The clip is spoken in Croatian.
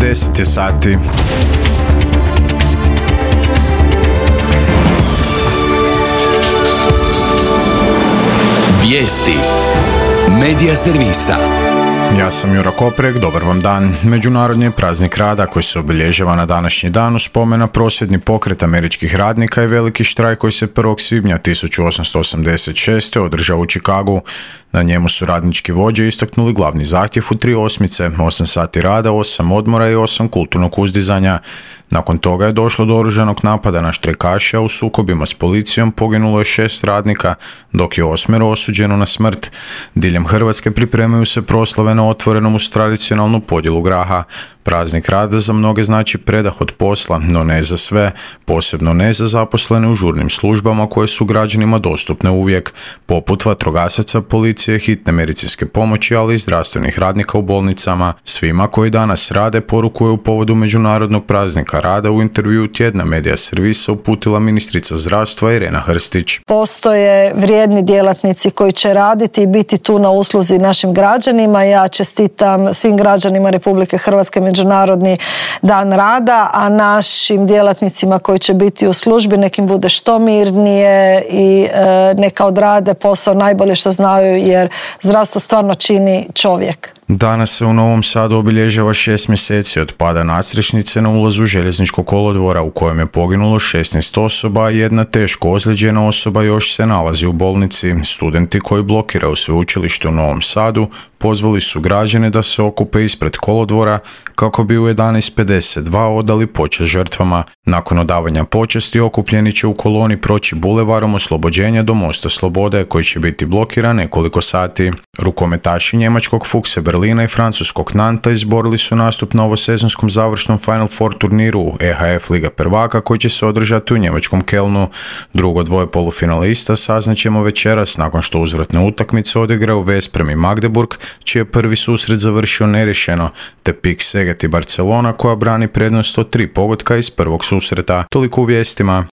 10 je sati. Vijesti Medija servisa. Ja sam Jura Koprek, dobar vam dan. Međunarodni je praznik rada koji se obilježava na današnji dan u spomen na prosvjedni pokret američkih radnika i veliki štrajk koji se 1. svibnja 1886. održao u Chicagu. Na njemu su radnički vođe istaknuli glavni zahtjev u 3 osmice, 8 sati rada, 8 odmora i 8 kulturnog uzdizanja. Nakon toga je došlo do oružanog napada na štrajkaše, a u sukobima s policijom poginulo je 6 radnika, dok je 8 osuđeno na smrt. Diljem Hrvatske pripremaju se proslave na otvorenom uz tradicionalnu podjelu graha. Praznik rada za mnoge znači predah od posla, no ne za sve, posebno ne za zaposlene u žurnim službama koje su građanima dostupne uvijek, poput vatrogasaca, policije, hitne medicinske pomoći, ali i zdravstvenih radnika u bolnicama. Svima koji danas rade porukuje u povodu Međunarodnog praznika rada u intervjuu Tjedna Medija servisa uputila ministrica zdravstva Irena Hrstić. Postoje vrijedni djelatnici koji će raditi i biti tu na usluzi našim građanima. Ja čestitam svim građanima Republike Hrvatske Međunarodni dan rada, a našim djelatnicima koji će biti u službi nekim bude što mirnije i neka odrade posao najbolje što znaju, jer zdravstvo stvarno čini čovjek. Danas se u Novom Sadu obilježava 6 mjeseci od pada nadstrešnice na ulazu željezničkog kolodvora u kojem je poginulo 16 osoba, a jedna teško ozlijeđena osoba još se nalazi u bolnici. Studenti koji blokiraju sveučilište u Novom Sadu pozvali su građane da se okupe ispred kolodvora kako bi u 11:52 odali počast žrtvama. Nakon odavanja počasti okupljeni će u koloni proći bulevarom Oslobođenja do Mosta Slobode koji će biti blokiran nekoliko sati. Rukometaši njemačkog Fuchse Berlina i francuskog Nanta izborili su nastup na ovosezonskom završnom Final Four turniru EHF Liga prvaka koji će se održati u njemačkom Kelnu. Drugo dvoje polufinalista saznaćemo večeras nakon što uzvratne utakmice odigraju Vesprem i Magdeburg, čiji je prvi susret završio neriješeno, te PIK Seget i Barcelona koja brani prednost od 3 pogotka iz prvog susreta. Toliko u vijestima.